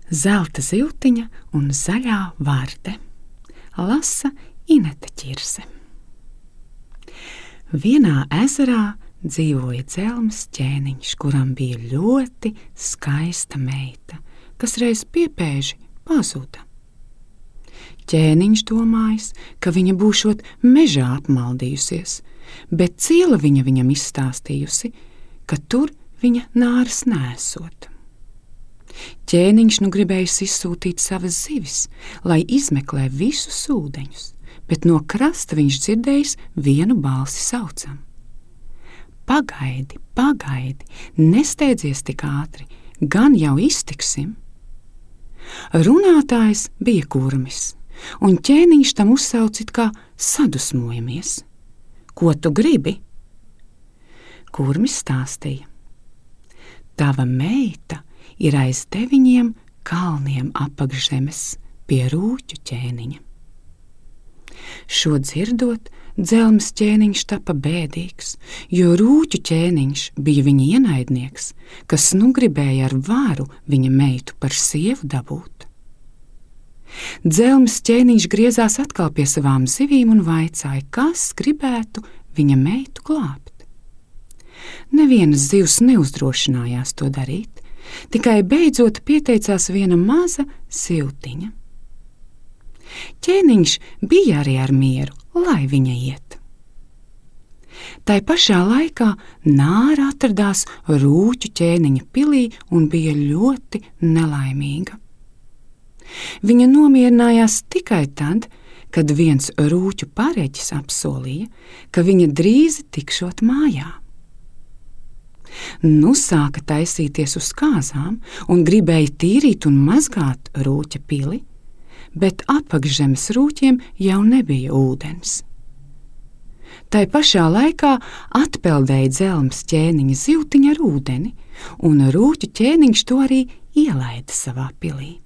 Zelta zivtiņa un zaļā varde. Lasa Inete Ķirse. Vienā ezerā dzīvoja dzelms ķēniņš, kuram bija ļoti skaista meita, kas reiz piepēži pazuda. Ķēniņš domājis, ka viņa būšot mežā apmaldījusies, bet ciela viņam izstāstījusi, ka tur viņa nāras nesot. Ķēniņš nu gribējis izsūtīt savas zivis, lai izmeklē visus ūdeņus, bet no krasta viņš dzirdējis vienu balsi saucam: Pagaidi, pagaidi, nesteidzies tik ātri, gan jau iztiksim. Runātājs bija kurmis, un ķēniņš tam uzsaucit kā sadusmojamies. Ko tu gribi? Kurmis stāstīja: Tava meita ir aiz 9 kalniem apakšzemes pie rūķu ķēniņa. Šo dzirdot, dzelms ķēniņš tapa bēdīgs, jo rūķu ķēniņš bija viņa ienaidnieks, kas nu gribēja ar varu viņa meitu par sievu dabūt. Dzelms ķēniņš griezās atkal pie savām zivīm un vaicāja, kas gribētu viņa meitu glābt. Nevienas zivs neuzdrošinājās to darīt, tikai beidzot pieteicās viena maza siltiņa. Ķēniņš bija arī ar mieru, lai viņa iet. Tai pašā laikā nāra atradās rūķu ķēniņa pilī un bija ļoti nelaimīga. Viņa nomierinājās tikai tad, kad viens rūķu pareģis apsolīja, ka viņa drīz tikšot mājā. Nu sāka taisīties uz kāzām un gribēja tīrīt un mazgāt rūķa pili, bet apakšzemes rūķiem jau nebija ūdens. Tai pašā laikā atpeldēja dzelms ķēniņa zivtiņa ar ūdeni, un rūķu ķēniņš to arī ielaida savā pilī.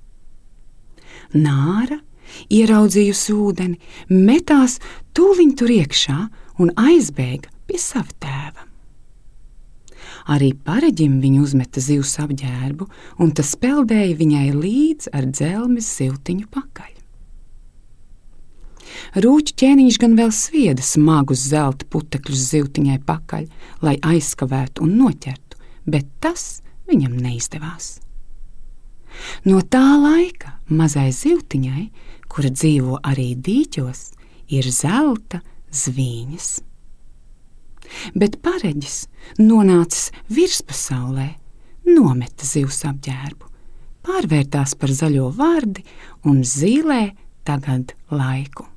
Nāra, ieraudzījusi ūdeni, metās tūliņ tur iekšā un aizbēga pie sava tēva. Arī pareģim viņa uzmeta zivs apģērbu, un tas peldēja viņai līdz ar dzelmes zivtiņu pakaļ. Rūķu ķēniņš gan vēl svieda smagus zelta putekļus zivtiņai pakaļ, lai aizskavētu un noķertu, bet tas viņam neizdevās. No tā laika mazai zivtiņai, kura dzīvo arī dīķos, ir zelta zvīņas. Bet pareģis, nonācis virspasaulē, nometa zivs apģērbu, pārvērtās par zaļo vardi un zīlē tagad laiku.